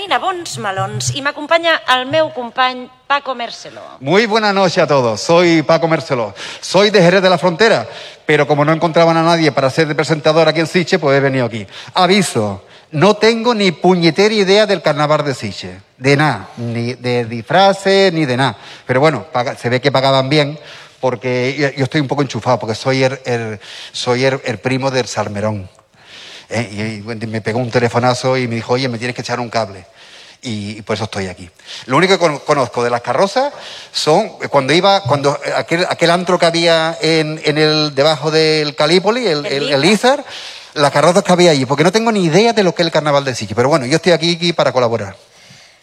camina bons melons i m'acompanya el meu company Paco Mercelo. Muy buenas noches a todos, soy Paco Mercelo, soy de Jerez de la Frontera, pero como no encontraban a nadie para ser de presentador aquí en Sitges, pues he venido aquí. Aviso, no tengo ni puñetera idea del carnaval de Sitges, de nada, ni de disfraces, ni de nada. Pero bueno, se ve que pagaban bien, porque yo estoy un poco enchufado, porque soy el primo del Salmerón. Y me pegó un telefonazo y me dijo, oye, me tienes que echar un cable. Y por eso estoy aquí. Lo único que conozco de las carrozas son cuando aquel antro que había debajo del Calípoli, el Izar, las carrozas que había allí, porque no tengo ni idea de lo que es el carnaval de Sitges. Pero bueno, yo estoy aquí para colaborar.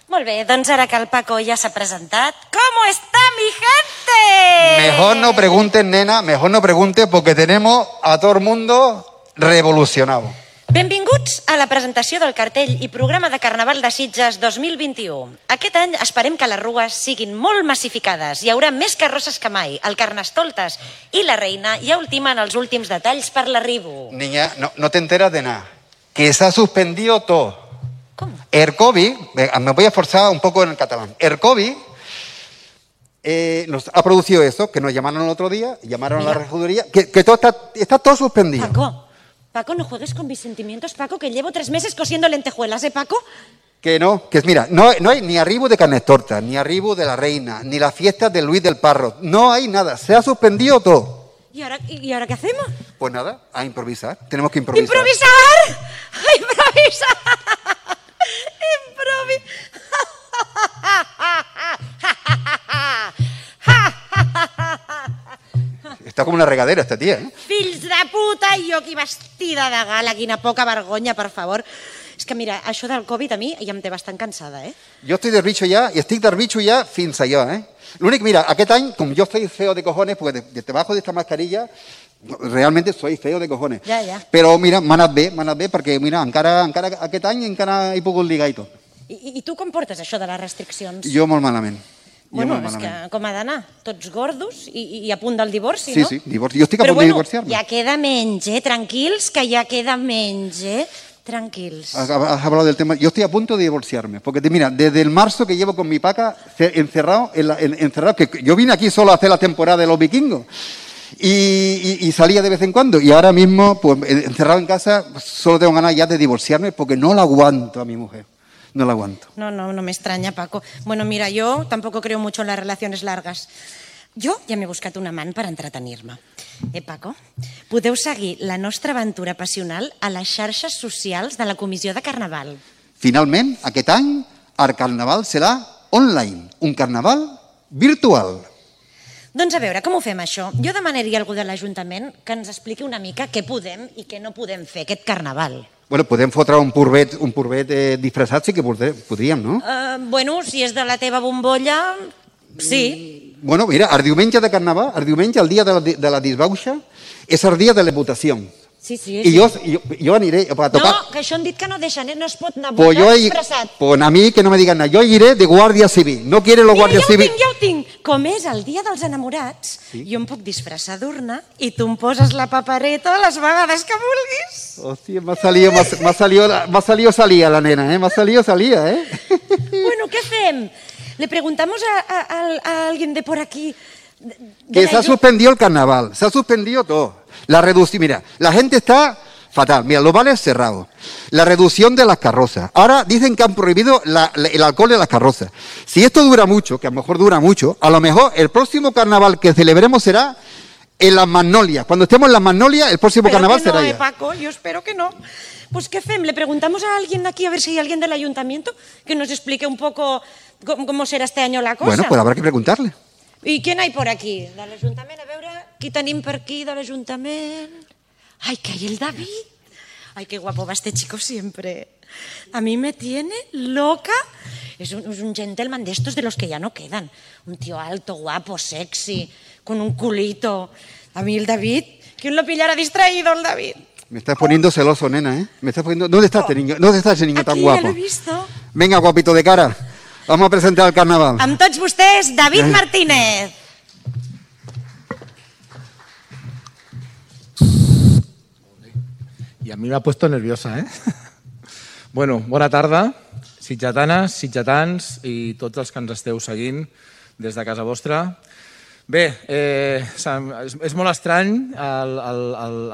Molt bé, doncs ara que el Paco ja s'ha presentat, ¿cómo está mi gente? Mejor no preguntes, nena, mejor no preguntes, porque tenemos a todo el mundo revolucionado. Benvinguts a la presentació del cartell i programa de Carnaval de Sitges 2021. Aquest any esperem que les rues siguin molt massificades. Hi haurà més carrosses que mai. El Carnestoltes i la Reina ja ultimen els últims detalls per l'arribo. Niña, no te enteras de nada. Que se ha suspendido todo. ¿Cómo? El COVID, me voy a esforzar un poco en el catalán. El COVID nos ha producido eso, que nos llamaron el otro día, llamaron a la regiduría, que todo está todo suspendido. Paco, no juegues con mis sentimientos, Paco, que llevo 3 meses cosiendo lentejuelas, ¿eh, Paco? Que no, mira, no hay ni arribo de Carnestoltes, ni arribo de la Reina, ni las fiestas de Luis del Parro. No hay nada, se ha suspendido todo. ¿Y ahora qué hacemos? Pues nada, a improvisar, tenemos que improvisar. ¿Improvisar? ¡Improvisar! Està com una regadera, esta tía, ¿eh? Fills de puta, i jo aquí vestida de gala, quina poca vergonya, per favor. És que mira, això del Covid a mi ja em té bastant cansada, eh? Jo estic del bicho ja, i estic del bicho ja fins allò, eh? L'únic, mira, aquest any, com jo soy feo de cojones, porque debajo de esta mascarilla, realmente soy feo de cojones. Ja. Però mira, m'ha anat bé, perquè mira, encara aquest any encara he pogut ligar i tot. I tu com portes això de les restriccions? Jo molt malament. Bueno, és que com ha d'anar? Tots gordos i a punt del divorci, no? Sí, divorci. Jo estic a punt de divorciar-me. Però bueno, ja queda menys, tranquils, que ja queda menys, tranquils. Has hablado del tema. Yo estoy a punto de divorciarme, porque mira, desde el marzo que llevo con mi paca encerrado, que yo vine aquí solo a hacer la temporada de los vikingos y salía de vez en cuando, y ahora mismo, pues encerrado en casa, solo tengo ganas ya de divorciarme porque no la aguanto a mi mujer. No la aguanto. No me extraña, Paco. Bueno, mira, yo tampoco creo mucho en las relaciones largas. Jo ja m'he buscat un amant per entretenir-me. Paco? Podeu seguir la nostra aventura passional a les xarxes socials de la Comissió de Carnaval. Finalment, aquest any, el Carnaval serà online, un Carnaval virtual. Doncs a veure, com ho fem això? Jo demanaria a algú de l'Ajuntament que ens expliqui una mica què podem i què no podem fer aquest Carnaval. Bueno, podem fotre un purvet disfressat, sí que podríem, no? Bueno, si és de la teva bombolla, sí. Bueno, mira, el diumenge de Carnaval, el dia de la disbauxa, és el dia de les votacions. Sí. I jo aniré a tocar... No, que això han dit que no deixen, no es pot anar a votar disfressat. Pues a mi que no me digan nada, yo iré de guàrdia civil, no quieren los guàrdies civils... Ja ho tinc. Com és el dia dels enamorats, jo em puc disfressar d'urna i tu em poses la papereta les vegades que vulguis. Hòstia, m'ha salido salía la nena, ¿eh? M'ha salido salía, ¿eh? Bueno, ¿qué hacemos? Le preguntamos a alguien de por aquí... Que se ha suspendido el carnaval, se ha suspendido todo. Mira, la gente está fatal. Mira, los bares cerrados. La reducción de las carrozas. Ahora dicen que han prohibido el alcohol de las carrozas. Si esto dura mucho, que a lo mejor dura mucho, a lo mejor el próximo carnaval que celebremos será en las Magnolias. Cuando estemos en las Magnolias, el próximo carnaval será ya. Paco, yo espero que no. Pues ¿qué hacemos? Le preguntamos a alguien aquí, a ver si hay alguien del ayuntamiento que nos explique un poco cómo será este año la cosa. Bueno, pues habrá que preguntarle. I què n'hi ha por aquí? De l'Ajuntament, a veure, qui tenim per aquí de l'Ajuntament? Ai, que hay el David. Ay, qué guapo va este chico siempre. A mí me tiene loca. Es un gentleman de estos de los que ya no quedan. Un tío alto, guapo, sexy, con un culito. A mí el David, ¿quién lo pillara distraído el David? Me estás poniendo celoso, nena, ¿eh? Me estás poniendo... ¿Dónde está este niño? ¿Dónde está ese niño tan guapo? Aquí, ya lo he visto. Venga, guapito de cara. Vamos a presentar el carnaval. Amb tots vostès, David Martínez. Y a mí me ha puesto nerviosa, ¿eh? Bueno, bona tarda. sitgetanes, sitgetans i tots els que ens esteu seguint des de casa vostra. Bé, és molt estrany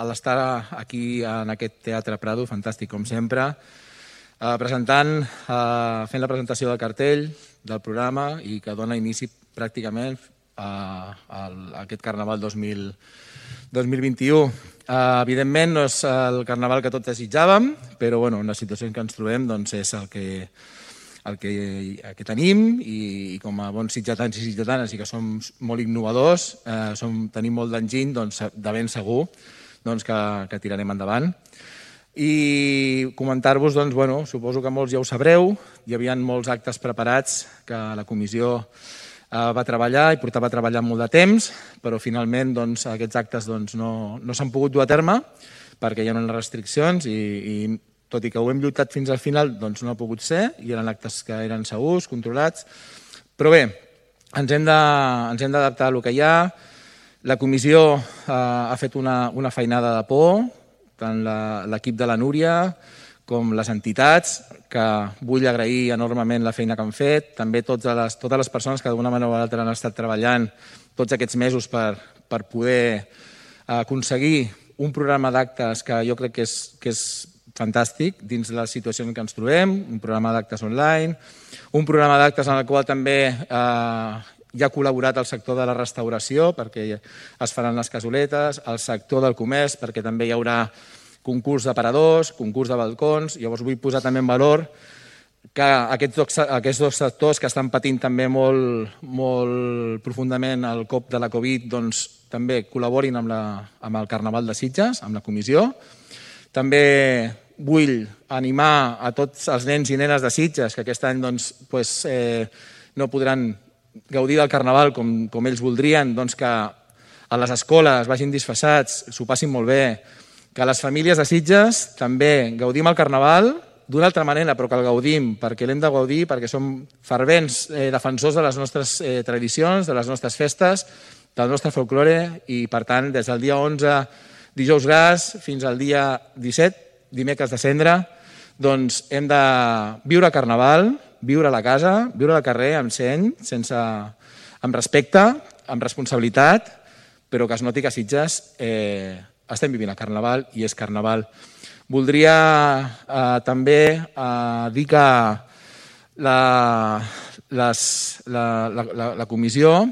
l'estar aquí en aquest Teatre Prado, fantàstic com sempre, fent la presentació del cartell del programa i que dona inici pràcticament a aquest Carnaval 2021. Evidentment no és el Carnaval que tots desitjàvem, però en la situació en què ens trobem és el que tenim i com a bons sitgetans i sitgetanes i que som molt innovadors, tenim molt d'enginy, de ben segur que tirarem endavant. I comentar-vos, suposo que molts ja ho sabreu, hi havia molts actes preparats que la comissió va treballar i portava treballant molt de temps, però finalment aquests actes no s'han pogut dur a terme perquè hi ha unes restriccions i tot i que ho hem lluitat fins al final, no ha pogut ser i eren actes que eren segurs, controlats. Però bé, ens hem d'adaptar a el que hi ha. La comissió ha fet una feinada de por, tant l'equip de la Núria com les entitats, que vull agrair enormement la feina que han fet, també totes les persones que d'una manera o altra han estat treballant tots aquests mesos per poder aconseguir un programa d'actes que jo crec que és fantàstic dins la situació en què ens trobem, un programa d'actes online, un programa d'actes en el qual també hi ha col·laborat el sector de la restauració perquè es faran les casoletes, el sector del comerç perquè també hi haurà concurs d'aparadors, concurs de balcons. Llavors vull posar també en valor que aquests dos sectors que estan patint també molt profundament el cop de la Covid també col·laborin amb el Carnaval de Sitges, amb la comissió. També vull animar a tots els nens i nenes de Sitges que aquest any no podran gaudir del Carnaval com ells voldrien, que a les escoles vagin disfressats, s'ho passin molt bé, que les famílies de Sitges també gaudim el Carnaval d'una altra manera, però que el gaudim perquè l'hem de gaudir, perquè som fervents defensors de les nostres tradicions, de les nostres festes, del nostre folklore i, per tant, des del dia 11, dijous gras, fins al dia 17, dimecres de cendre, hem de viure Carnaval, viure a la casa, viure al carrer amb seny, amb respecte, amb responsabilitat, però que es noti que a Sitges estem vivint el Carnaval i és Carnaval. Voldria també dir que la comissió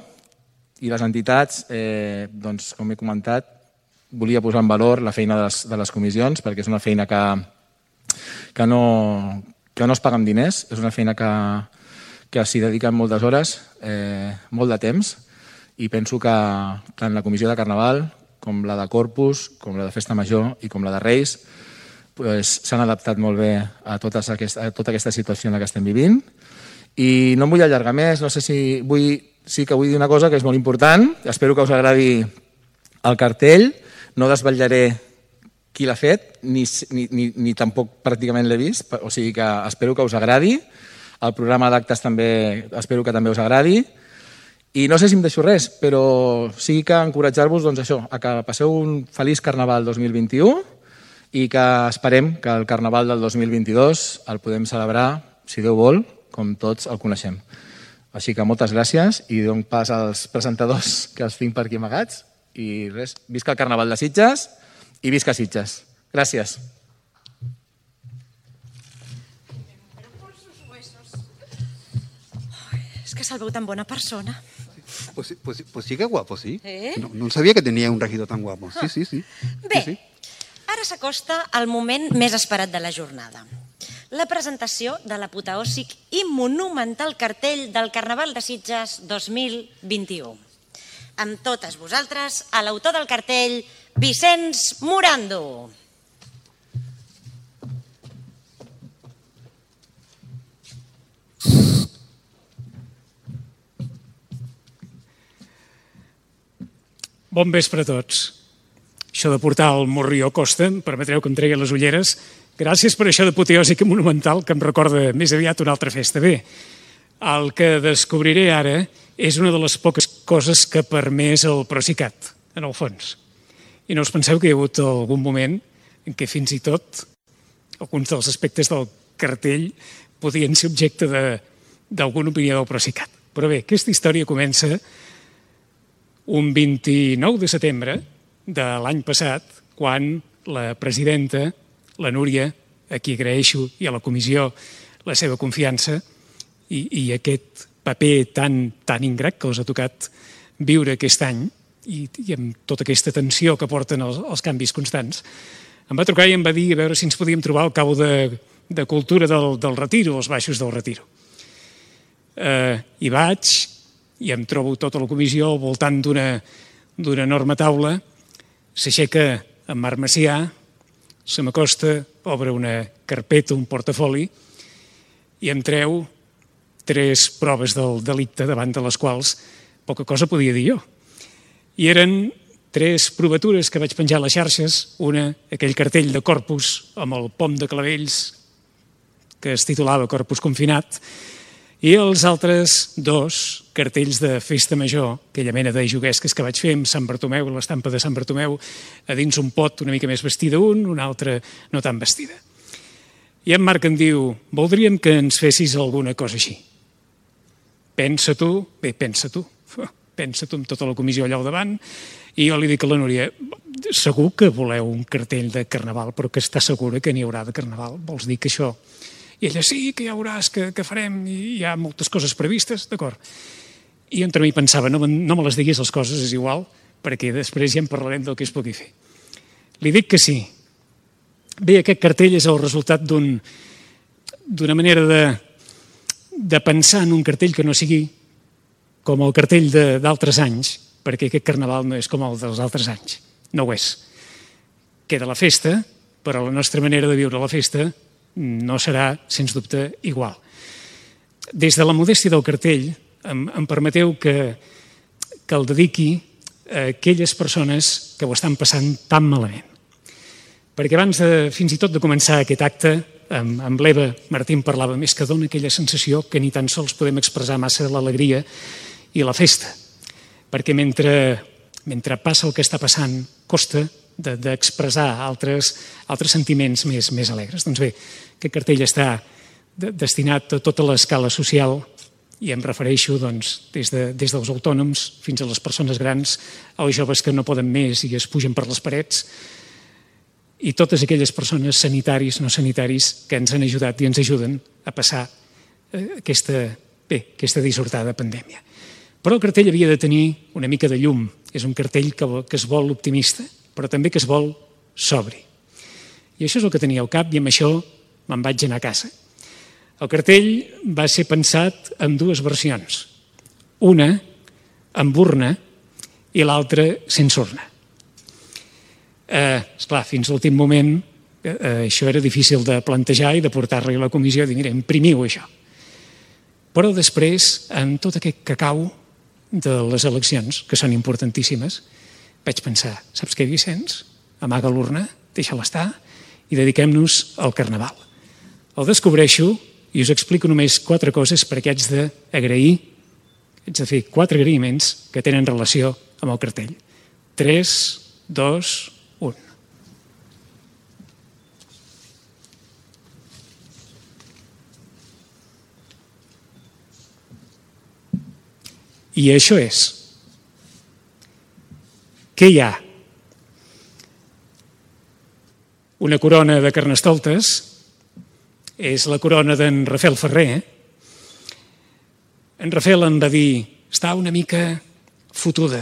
i les entitats, com he comentat, volia posar en valor la feina de les comissions perquè és una feina que no es paga amb diners, és una feina que s'hi dediquen moltes hores, molt de temps, i penso que tant la comissió de Carnaval com la de Corpus, com la de Festa Major i com la de Reis s'han adaptat molt bé a tota aquesta situació en la que estem vivint. I no em vull allargar més, no sé si sí que vull dir una cosa que és molt important, espero que us agradi el cartell, no desvetllaré qui l'ha fet, ni tampoc pràcticament l'he vist, o sigui que espero que us agradi, el programa d'actes també espero que també us agradi, i no sé si em deixo res, però sí que encoratjar-vos a que passeu un feliç Carnaval 2021 i que esperem que el Carnaval del 2022 el podem celebrar, si Déu vol, com tots el coneixem. Així que moltes gràcies i dono pas als presentadors que els tinc per aquí amagats i res, visca el Carnaval de Sitges i visca Sitges. Gràcies. Es que se'l veu tan bona persona. Pues sí que guapo, sí. No sabía que tenía un regidor tan guapo. Sí. Bé, ara s'acosta el moment més esperat de la jornada. La presentació de l'apoteòsic i monumental cartell del Carnaval de Sitges 2021. Amb totes vosaltres, a l'autor del cartell, Vicenç Morando. Bon vespre a tots. Això de portar el morrió costa, em permetreu que em tregui les ulleres. Gràcies per això d'apoteòsic i monumental, que em recorda més aviat una altra festa. Bé, el que descobriré ara és una de les poques coses que ha permès el Procicat, en el fons. I no us penseu que hi ha hagut algun moment en què fins i tot alguns dels aspectes del cartell podien ser objecte d'alguna opinió del Procicat. Però bé, aquesta història comença un 29 de setembre de l'any passat, quan la presidenta, la Núria, a qui agraeixo, i a la comissió la seva confiança i aquest paper tan ingrat que els ha tocat viure aquest any i amb tota aquesta tensió que porten els canvis constants, em va trucar i em va dir a veure si ens podíem trobar al cabo de cultura del Retiro, als baixos del Retiro. Hi vaig i em trobo tota la comissió al voltant d'una enorme taula. S'aixeca en Marc Macià, se m'acosta, obre una carpeta, un portafoli, i em treu 3 proves del delicte davant de les quals poca cosa podia dir jo. I eren 3 provatures que vaig penjar a les xarxes, una, aquell cartell de Corpus amb el pom de clavells que es titulava Corpus confinat, i els altres 2 cartells de festa major, aquella mena de juguesques que vaig fer amb Sant Bartomeu, l'estampa de Sant Bartomeu, a dins un pot una mica més vestida una altra no tan vestida. I en Marc em diu, voldríem que ens fessis alguna cosa així. Pensa tu amb tota la comissió allà al davant, i jo li dic a la Núria, segur que voleu un cartell de Carnaval, però que està segura que n'hi haurà de Carnaval? Vols dir que això... I ella, sí, que ja veuràs que farem, i hi ha moltes coses previstes, d'acord. I entre mi pensava, no me les diguis les coses, és igual, perquè després ja en parlarem del que es pugui fer. Li dic que sí. Bé, aquest cartell és el resultat d'una manera de pensar en un cartell que no sigui com el cartell d'altres anys, perquè aquest Carnaval no és com el dels altres anys. No ho és. Queda la festa, però la nostra manera de viure la festa no serà, sens dubte, igual. Des de la modèstia del cartell, em permeteu que el dediqui a aquelles persones que ho estan passant tan malament. Perquè abans, fins i tot de començar aquest acte, amb l'Eva Martín parlava més que dona aquella sensació que ni tan sols podem expressar massa l'alegria i la festa. Perquè mentre passa el que està passant, costa d'expressar altres sentiments més alegres. Doncs bé, aquest cartell està destinat a tota l'escala social i em refereixo des dels autònoms fins a les persones grans, als joves que no poden més i es pugen per les parets, i totes aquelles persones sanitaris, no sanitaris, que ens han ajudat i ens ajuden a passar aquesta dissortada pandèmia. Però el cartell havia de tenir una mica de llum. És un cartell que es vol optimista, però també que es vol sobri. I això és el que tenia al cap i amb això me'n vaig anar a casa. El cartell va ser pensat en 2 versions. Una amb urna i l'altra sense urna. Esclar, fins a l'últim moment això era difícil de plantejar i de portar-li a la comissió i dir, mira, imprimiu això. Però després, amb tot aquest cacau de les eleccions, que són importantíssimes, vaig pensar, saps què, Vicenç? Amaga l'urna, deixa-la estar i dediquem-nos al Carnaval. El descobreixo i us explico només 4 coses perquè haig d'agrair, haig de fer 4 agraïments que tenen relació amb el cartell. 3, 2, 1. I això és, què hi ha? Una corona de Carnestoltes, és la corona d'en Rafael Ferrer. En Rafael em va dir, està una mica fotuda,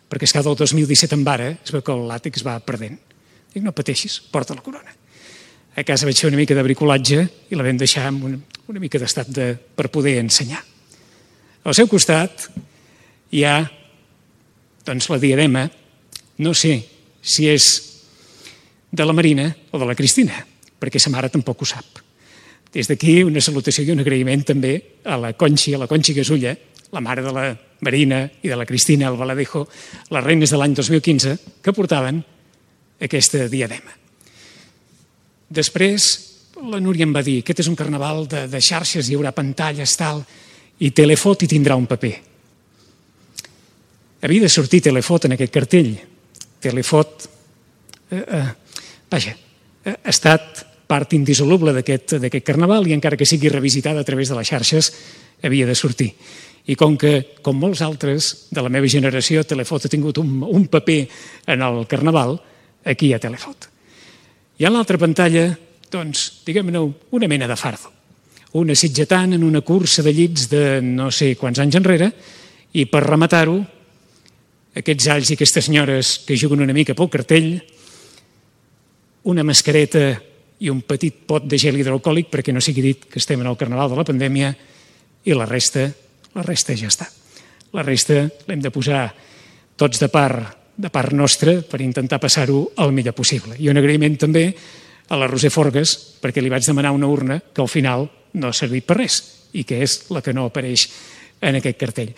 perquè és que del 2017 en vara, es veu que el làtex va perdent. Dic, no pateixis, porta la corona. A casa vaig fer una mica de bricolatge i la vam deixar amb una mica d'estat per poder ensenyar. Al seu costat hi ha la diadema, no sé si és de la Marina o de la Cristina, perquè sa mare tampoc ho sap. Des d'aquí una salutació i un agraïment també a la Conxi Gasulla, la mare de la Marina i de la Cristina Albaladejo, les reines de l'any 2015, que portaven aquesta diadema. Després la Núria em va dir, aquest és un carnaval de xarxes, hi haurà pantalles, tal, i Telefot hi tindrà un paper. Havia de sortir Telefot en aquest cartell. Telefot, ha estat part indissoluble d'aquest carnaval i encara que sigui revisitada a través de les xarxes havia de sortir. I com que, com molts altres de la meva generació, Telefot ha tingut un paper en el carnaval, aquí hi ha Telefot. I a l'altra pantalla, doncs, diguem-ne, una mena de fardo. Una sitgetant en una cursa de llits de no sé quants anys enrere i per rematar-ho, aquests alls i aquestes senyores que juguen una mica pel cartell, una mascareta i un petit pot de gel hidroalcohòlic perquè no sigui dit que estem en el carnaval de la pandèmia i la resta ja està. La resta l'hem de posar tots de part nostra per intentar passar-ho el millor possible. I un agraïment també a la Roser Forgas perquè li vaig demanar una urna que al final no ha servit per res i que és la que no apareix en aquest cartell.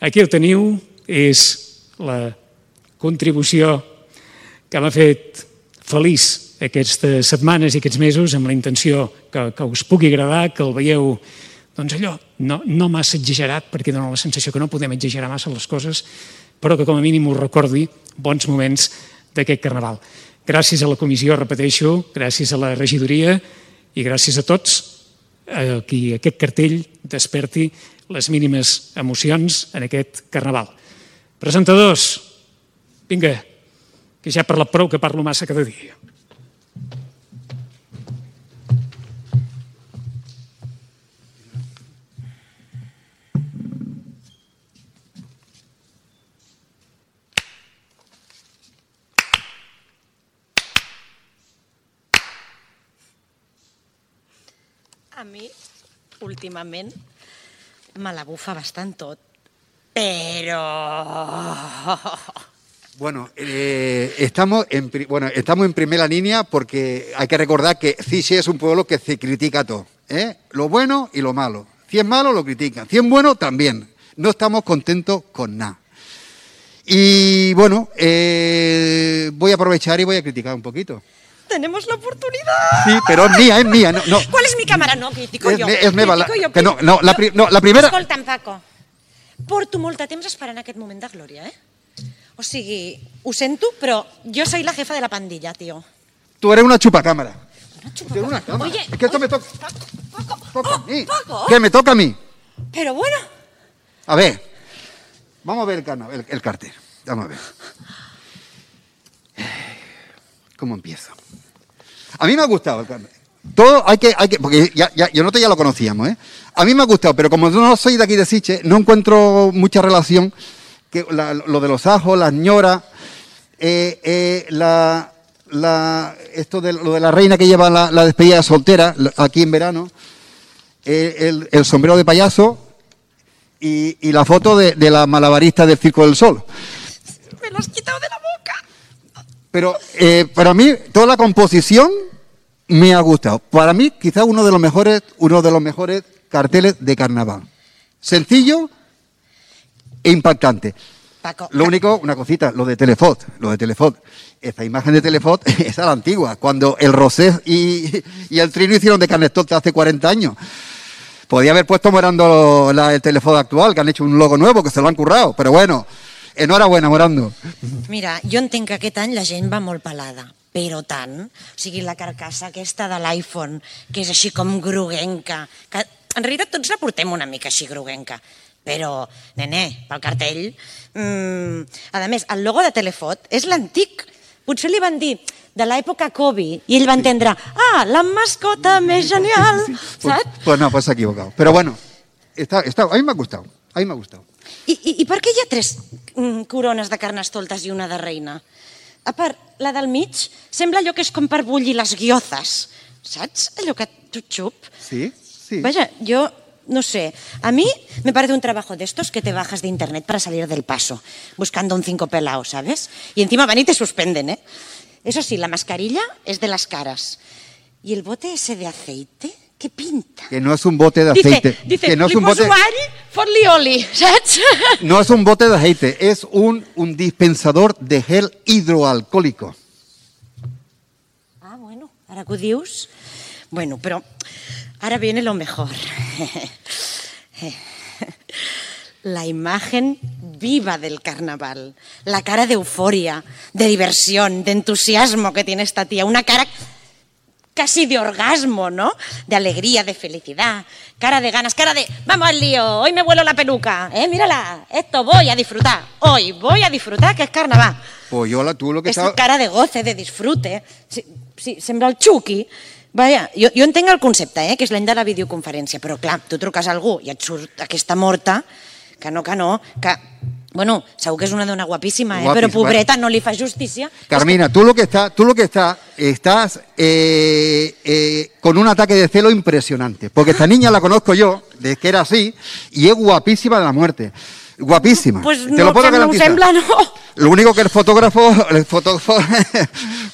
Aquí el teniu, és la contribució que m'ha fet feliç aquestes setmanes i aquests mesos amb la intenció que us pugui agradar, que el veieu doncs allò, no massa exagerat, perquè dona la sensació que no podem exagerar massa les coses, però que com a mínim us recordi bons moments d'aquest carnaval. Gràcies a la comissió, repeteixo, gràcies a la regidoria i gràcies a tots a qui aquest cartell desperti les mínimes emocions en aquest carnaval. Presentadors, vinga, que ja he parlat prou, que parlo massa cada dia. A mi, últimament, me la bufa bastant tot, però... Bueno, estamos en primera línea porque hay que recordar que Ziche es un pueblo que se critica todo, lo bueno y lo malo. Si es malo, lo critican. Si es bueno, también. No estamos contentos con nada. Y bueno, voy a aprovechar y voy a criticar un poquito. Tenemos la oportunidad. Sí, pero es mía. No. ¿Cuál es mi cámara? No, critico jo. És meva. Critico jo. La primera... Escolta'm, Paco, porto molt de temps esperant aquest moment de glòria, O sigui, ho sento, però jo soy la jefa de la pandilla, tío. Tú eres una chupacámara. Una chupacámara. Una cámara. Oye, es que esto me toca. Paco. A mí. Paco. ¿Qué me toca a mí? Pero bueno. A ver, vamos a ver el cartel. Vamos a ver. ¿Cómo empiezo? A mí me ha gustado el cartel. Todo hay que porque yo nosotros ya lo conocíamos, A mí me ha gustado, pero como no soy de aquí de Siche, no encuentro mucha relación que lo de los ajos, las ñoras, esto de lo de la reina que lleva la despedida soltera aquí en verano, el sombrero de payaso y la foto de la malabarista del Circo del Sol. Me lo has quitado de la boca. Pero para mí toda la composición me ha gustado. Para mí quizás uno de los mejores carteles de carnaval. Sencillo e impactante. Paco, Lo único, una cosita, lo de Telefot. Esta imagen de Telefot es a la antigua, cuando el Rosés y el Trino hicieron de Carnestolte hace 40 años. Podía haber puesto Morando el Telefot actual, que han hecho un logo nuevo, que se lo han currado. Pero bueno, enhorabuena, Morando. Mira, jo entenc que aquest any la gent va molt pelada, però tant. O sigui, la carcassa aquesta de l'iPhone, que és així com groguenca, que en realitat tots la portem una mica així groguenca, però, nene, pel cartell... A més, el logo de Telefot és l'antic. Potser li van dir de l'època Kobe i ell va entendre, la mascota més genial, saps? Pues no, pues se ha equivocado. Pero bueno, a mí me ha gustado. I per què hi ha 3 corones de Carnestoltes i una de reina? A part, la del mig sembla allò que és com per bullir les guiozas, saps? Allò que xup. Sí. Vaya, yo no sé, a mí me parece un trabajo de estos que te bajas de internet para salir del paso, buscando un 5 pelao, ¿sabes? Y encima van y te suspenden, Eso sí, la mascarilla es de las caras. ¿Y el bote ese de aceite? ¿Qué pinta? Que no es un bote de aceite. Dice, que no es li un poso bote... ari, fot-li oli, saps? No es un bote de aceite, es un dispensador de gel hidroalcohólico. Bueno, ara que ho dius... Bueno, però ahora viene lo mejor. La imagen viva del carnaval, la cara de euforia, de diversión, de entusiasmo que tiene esta tía, una cara casi de orgasmo, ¿no? De alegría, de felicidad, cara de ganas, cara de vamos al lío, hoy me vuelo la peluca, mírala, esto voy a disfrutar, hoy voy a disfrutar, que es carnaval. Pues yo, tú lo que És cara de goce, de disfrute. Sí, sembla el Chucky. Vaja, jo entenc el concepte, que és l'any de la videoconferència, però clar, tu truques a algú i et surt aquesta morta, que bueno, segur que és una dona guapísima, però pobreta, no li fa justícia. Carmina, tú lo que estás con un ataque de celo impresionante, porque esta niña la conozco yo, desde que era así, y es guapísima de la muerte. Guapísima. Pues te lo puedo garantizar. No sembla, no. Lo único que el fotógrafo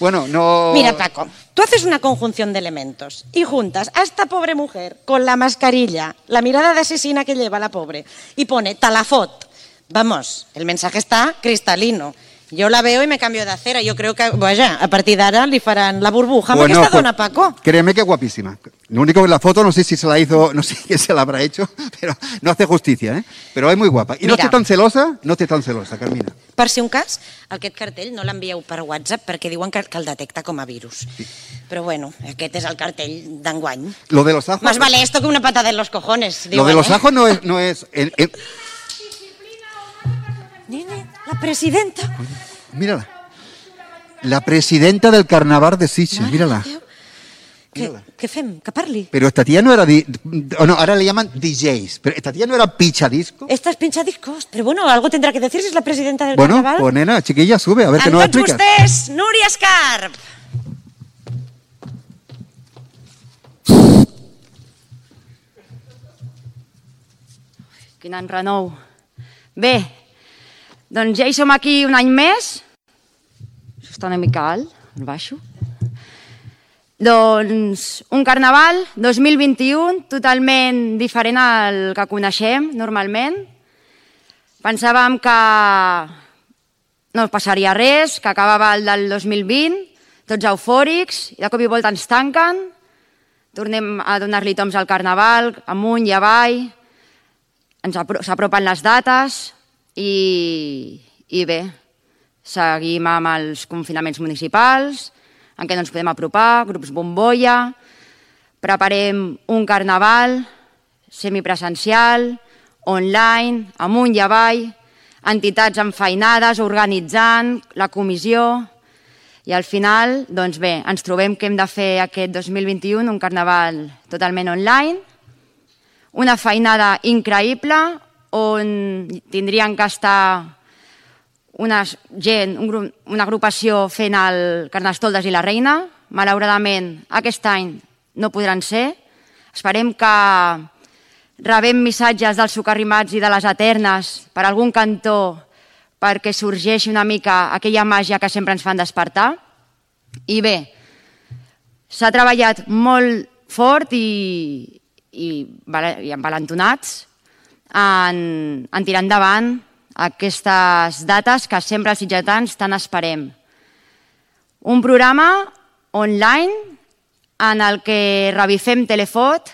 bueno, no... Mira, Paco, tú haces una conjunción de elementos y juntas a esta pobre mujer con la mascarilla, la mirada de asesina que lleva la pobre, y pone talafot. Vamos, el mensaje está cristalino. Yo la veo y me cambio de acera. Yo creo que, vaya, a partir d'ara li faran la burbuja amb aquesta dona, Paco. Créeme que es guapísima. Lo único que la foto, no sé si se la hizo, no sé quién se la habrá hecho, pero no hace justicia, ¿eh? Pero es muy guapa. Y no estés tan celosa, Carmina. Per si un cas, aquest cartell no l'envieu per WhatsApp perquè diuen que el detecta com a virus. Sí. Però bueno, aquest és el cartell d'enguany. Lo de los ajos... Más vale esto que una patada en los cojones. Diuen, lo de los ajos no es... Nene, la presidenta. Mírala. La presidenta del carnaval de Sitges, mírala. Què fem? Que parli. Pero esta tía no era... no, ahora le llaman DJs. Pero esta tía no era pinchadisco. Esta es pinchadiscos. Pero bueno, algo tendrá que decir si es la presidenta del carnaval. Bueno, pues nena, chiquilla, sube, a ver qué nos explica. Amb tots vostès, Núria Escarp. Quin enrenou. Bé, doncs ja hi som aquí un any més. Això està una mica alt, el baixo. Doncs un carnaval 2021 totalment diferent al que coneixem normalment. Pensàvem que no passaria res, que acabava el del 2020, tots eufòrics, i de cop i volta ens tanquen, tornem a donar-li toms al carnaval, amunt i avall, s'apropen les dates i bé, seguim amb els confinaments municipals, en què no ens podem apropar, grups bombolla, preparem un carnaval semipresencial, online, amunt i avall, entitats enfeinades, organitzant, la comissió, i al final, doncs bé, ens trobem que hem de fer aquest 2021 un carnaval totalment online, una feinada increïble on tindrien que estar una agrupació fent el Carnestoltes i la Reina. Malauradament, aquest any no podran ser. Esperem que rebem missatges dels socarrimats i de les Eternes per algun cantó perquè sorgeixi una mica aquella màgia que sempre ens fan despertar. I bé, s'ha treballat molt fort i envalentonats en tirar endavant aquestes dates que sempre els sitgetans tant esperem. Un programa online en el que revifem Telefot,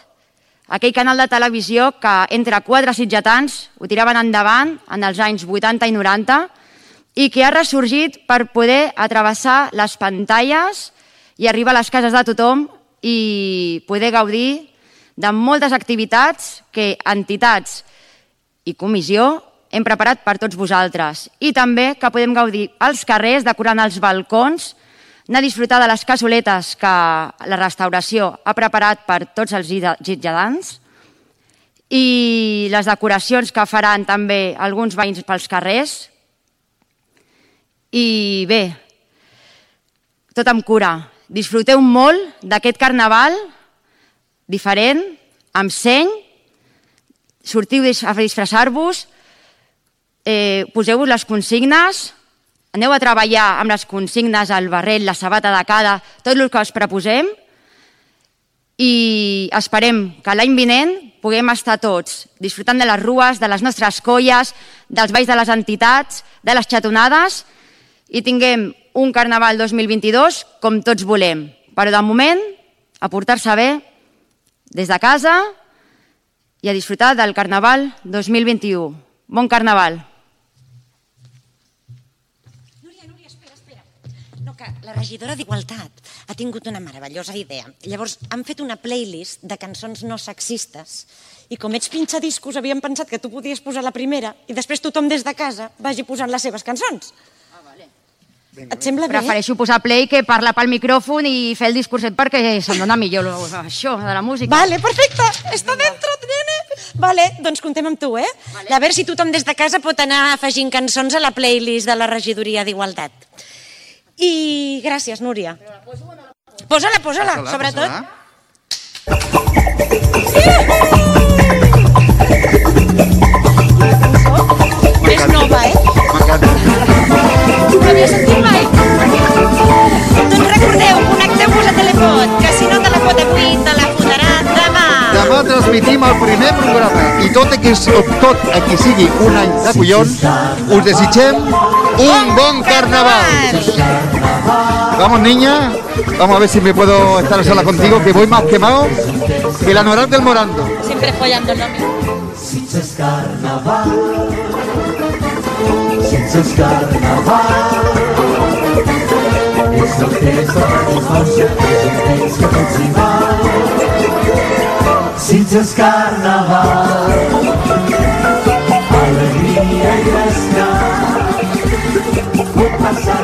aquell canal de televisió que entre 4 sitgetans ho tiraven endavant en els anys 80 i 90 i que ha ressorgit per poder atravessar les pantalles i arribar a les cases de tothom i poder gaudir de moltes activitats que entitats i comissió hem preparat per tots vosaltres. I també que podem gaudir als carrers, decorant els balcons, anar a disfrutar de les cassoletes que la restauració ha preparat per tots els sitgetans i les decoracions que faran també alguns veïns pels carrers. I bé, tot amb cura. Disfruteu molt d'aquest carnaval diferent, amb seny, sortiu a disfressar-vos, poseu-vos les consignes, aneu a treballar amb les consignes, el barret, la sabata de cada, tot el que us proposem i esperem que l'any vinent puguem estar tots disfrutant de les rues, de les nostres colles, dels balls de les entitats, de les xatonades i tinguem un carnaval 2022 com tots volem. Però de moment, a portar-se bé des de casa i a disfrutar del carnaval 2021. Bon carnaval! que la regidora d'Igualtat ha tingut una meravellosa idea. Llavors, han fet una playlist de cançons no sexistes i com ets pinxadiscos, havíem pensat que tu podies posar la primera i després tothom des de casa vagi posant les seves cançons. Et sembla bé? Prefereixo posar play que parlar pel micròfon i fer el discurset perquè se'm dona millor això de la música. Vale, perfecte. Està dentro, nene. Vale, doncs contem amb tu, eh? A veure si tothom des de casa pot anar afegint cançons a la playlist de la regidoria d'Igualtat. I gràcies, Núria. Posa-la, sobretot. És nova, eh? M'encanta. No havia sentit mai. Doncs recordeu, connecteu-vos a Telefot, que si no te la pot avui, te la fotrà demà. Demà transmitim el primer programa i tot a qui sigui un any de collons, us desitgem un bon carnaval. Vamos, niña, vamos a ver si me puedo estar a sola contigo, que voy más quemado que la Noral del Morando. Siempre follando el nombre. Sitges carnaval, Sitges carnaval, és el temps de la infància, és el temps que tots hi val. Sitges carnaval, alegria i descans, pot passar